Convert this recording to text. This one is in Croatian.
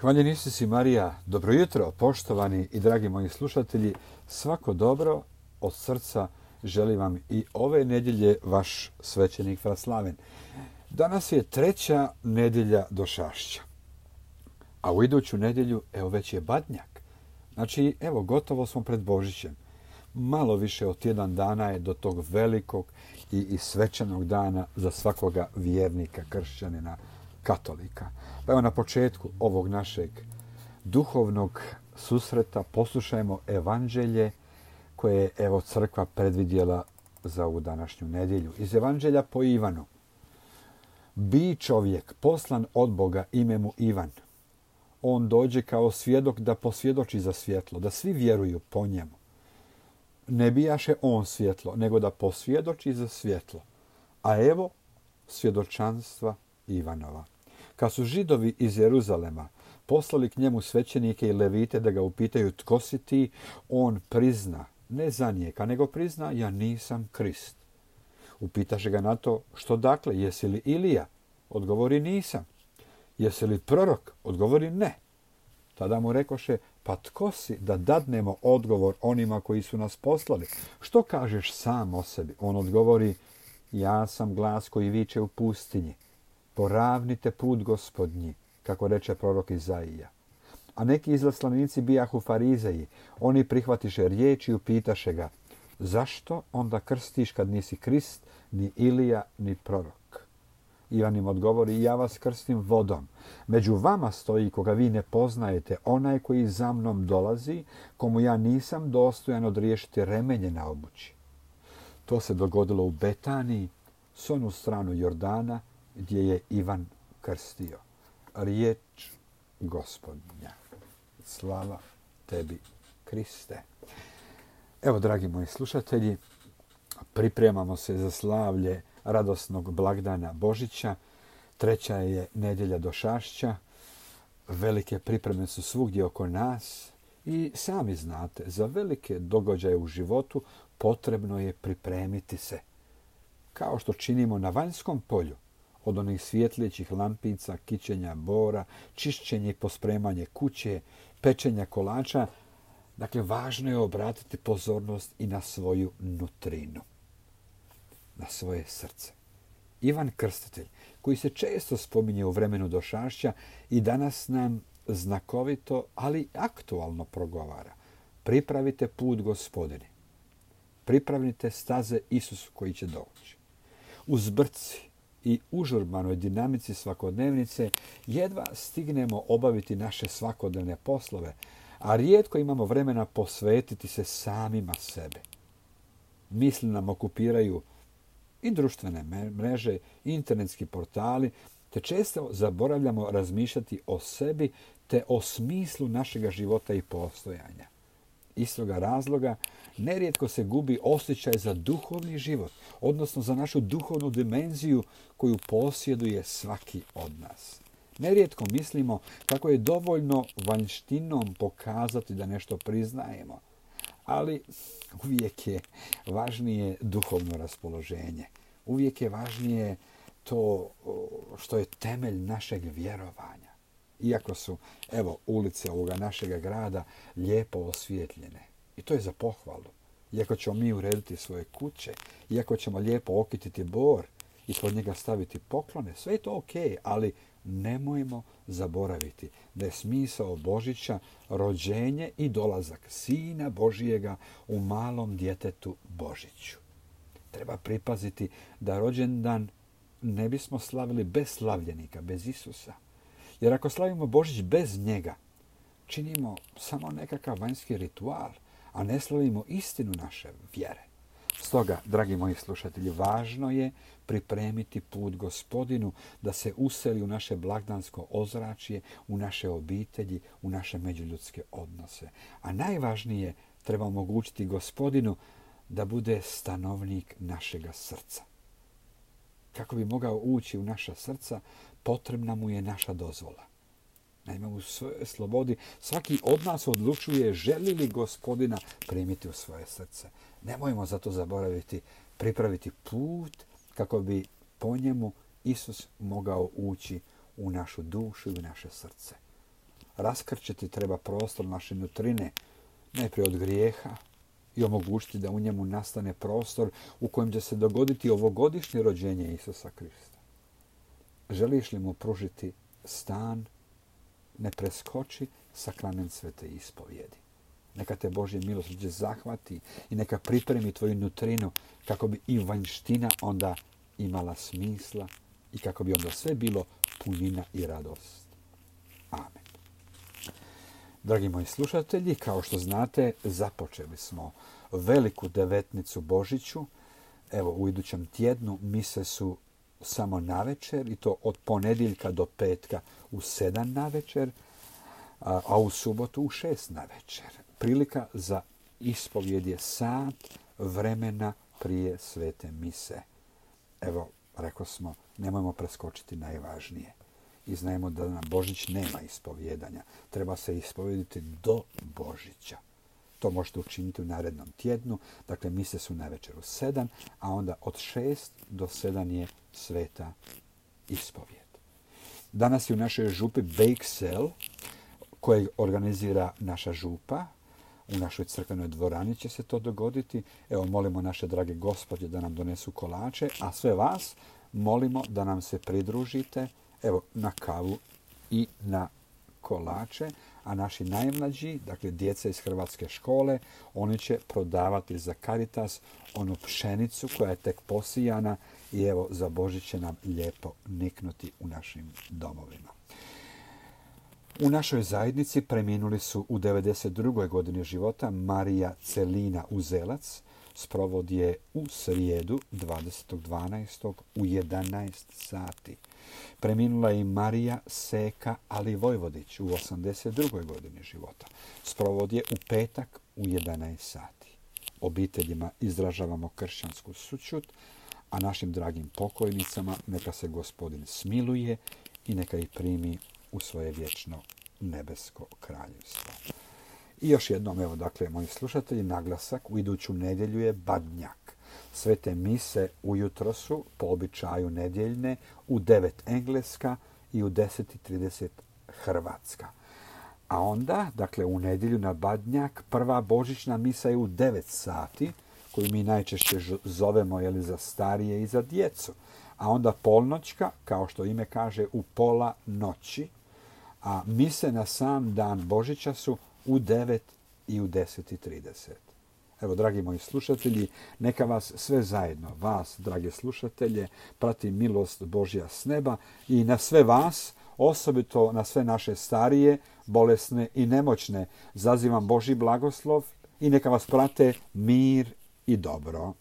Hvaljen Isus i Marija, dobro jutro, poštovani i dragi moji slušatelji. Svako dobro od srca želim vam i ove nedjelje vaš svećenik Vraslaven. Danas je 3. nedjelja Došašća, a u iduću nedjelju, evo već je Badnjak. Znači, evo, gotovo smo pred Božićem. Malo više od tjedan dana je do tog velikog i svečanog dana za svakoga vjernika, kršćanina, katolika. Pa evo na početku ovog našeg duhovnog susreta poslušajmo evanđelje koje je evo crkva predvidjela za ovu današnju nedjelju. Iz evanđelja po Ivanu. Bi čovjek poslan od Boga ime mu Ivan. On dođe kao svjedok da posvjedoči za svjetlo, da svi vjeruju po njemu. Ne bijaše on svjetlo, nego da posvjedoči za svjetlo. A evo svjedočanstva Ivanova. Kad su Židovi iz Jeruzalema poslali k njemu svećenike i levite da ga upitaju tko si ti, on prizna, ne zanijeka, nego prizna ja nisam Krist. Upitaše ga na to što dakle, jesi li Ilija? Odgovori nisam. Jesi li prorok? Odgovori ne. Tada mu rekoše, pa tko si da dadnemo odgovor onima koji su nas poslali? Što kažeš sam o sebi? On odgovori, ja sam glas koji viče u pustinji. Poravnite put Gospodnji, kako reče prorok Izaija. A neki izaslanici bijahu farizeji. Oni prihvatiše riječ i upitaše ga, zašto onda krstiš kad nisi Krist, ni Ilija, ni prorok? Ivan im odgovori, ja vas krstim vodom. Među vama stoji koga vi ne poznajete, onaj koji za mnom dolazi, komu ja nisam dostojan odriješiti remenje na obući. To se dogodilo u Betaniji, s onu stranu Jordana, gdje je Ivan krstio. Riječ Gospodnja. Slava tebi, Kriste. Evo, dragi moji slušatelji, pripremamo se za slavlje radosnog blagdana Božića. 3. je nedjelja Došašća. Velike pripreme su svugdje oko nas i sami znate, za velike događaje u životu potrebno je pripremiti se. Kao što činimo na vanjskom polju, od onih svjetljećih lampica, kićenja bora, čišćenje i pospremanje kuće, pečenja kolača. Dakle, važno je obratiti pozornost i na svoju nutrinu, na svoje srce. Ivan Krstitelj, koji se često spominje u vremenu Došašća i danas nam znakovito, ali aktualno progovara. Pripravite put Gospodine. Pripravite staze Isusu koji će doći. U zbrci i užurbanoj dinamici svakodnevnice jedva stignemo obaviti naše svakodnevne poslove, a rijetko imamo vremena posvetiti se samima sebe. Misli nam okupiraju i društvene mreže, i internetski portali, te često zaboravljamo razmišljati o sebi te o smislu našega života i postojanja. Iz toga razloga nerijetko se gubi osjećaj za duhovni život, odnosno za našu duhovnu dimenziju koju posjeduje svaki od nas. Nerijetko mislimo kako je dovoljno vanjštinom pokazati da nešto priznajemo, ali uvijek je važnije duhovno raspoloženje. Uvijek je važnije to što je temelj našeg vjerovanja. Iako su, evo, ulice ovoga našega grada lijepo osvjetljene. I to je za pohvalu. Iako ćemo mi urediti svoje kuće, iako ćemo lijepo okititi bor i pod njega staviti poklone, sve je to ok, ali nemojmo zaboraviti da je smisao Božića rođenje i dolazak Sina Božijega u malom djetetu Božiću. Treba pripaziti da rođendan ne bismo slavili bez slavljenika, bez Isusa. Jer ako slavimo Božić bez njega, činimo samo nekakav vanjski ritual, a ne slavimo istinu naše vjere. Stoga, dragi moji slušatelji, važno je pripremiti put Gospodinu da se useli u naše blagdansko ozračje, u naše obitelji, u naše međuljudske odnose. A najvažnije, treba omogućiti Gospodinu da bude stanovnik našega srca. Kako bi mogao ući u naša srca, potrebna mu je naša dozvola. Naime, u svojoj slobodi svaki od nas odlučuje želi li Gospodina primiti u svoje srce. Nemojmo zato zaboraviti pripraviti put kako bi po njemu Isus mogao ući u našu dušu i u naše srce. raskrčiti treba prostor naše nutrine, najprije od grijeha i omogućiti da u njemu nastane prostor u kojem će se dogoditi ovogodišnje rođenje Isusa Krista. Želiš li mu pružiti stan, ne preskoči sakrament svete ispovjedi. Neka te Božje milosrđe zahvati i neka pripremi tvoju nutrinu kako bi i vanjština onda imala smisla i kako bi onda sve bilo punina i radost. Amen. Dragi moji slušatelji, kao što znate, započeli smo veliku devetnicu Božiću. Evo, u idućem tjednu mise su samo navečer i to od ponedjeljka do petka u 7 navečer, a u subotu u 6 navečer. Prilika za ispovjed je sat vremena prije svete mise. Evo, rekao smo, nemojmo preskočiti najvažnije. I znajemo da na Božić nema ispovjedanja. Treba se ispovjediti do Božića. To možete učiniti u narednom tjednu. Dakle, mise su navečer u 7, a onda od 6 do 7 je sveta ispovjed. Danas je u našoj župi Bake Sale, koje organizira naša župa. U našoj crkvenoj dvorani će se to dogoditi. Evo, molimo naše drage gospođe da nam donesu kolače, a sve vas molimo da nam se pridružite, evo, na kavu i na kolače, a naši najmlađi, dakle djeca iz hrvatske škole, oni će prodavati za Caritas onu pšenicu koja je tek posijana i evo, za Božić će nam lijepo niknuti u našim domovima. U našoj zajednici preminuli su u 92. godini života Marija Celina Uzelac. Sprovod je u srijedu 20.12. u 11 sati. Preminula je i Marija Seka Alivojvodić u 82. godini života. Sprovod je u petak u 11 sati. Obiteljima izražavamo kršćansku sućut, a našim dragim pokojnicama neka se Gospodin smiluje i neka ih primi u svoje vječno nebesko kraljevstvo. I još jednom, evo, dakle, moji slušatelji, naglasak u iduću nedjelju je Badnjak. Svete mise ujutro su, po običaju nedjeljne, u 9 engleska i u 10:30 hrvatska. A onda, dakle, u nedjelju na Badnjak, prva božićna misa je u 9 sati, koju mi najčešće zovemo, jeli, za starije i za djecu. A onda polnoćka, kao što ime kaže, u pola noći, a mise na sam dan Božića su u 9 i u 10:30. Evo, dragi moji slušatelji, neka vas sve zajedno, vas, drage slušatelje, prati milost Božja s neba i na sve vas, osobito na sve naše starije, bolesne i nemoćne, zazivam Božji blagoslov i neka vas prate mir i dobro.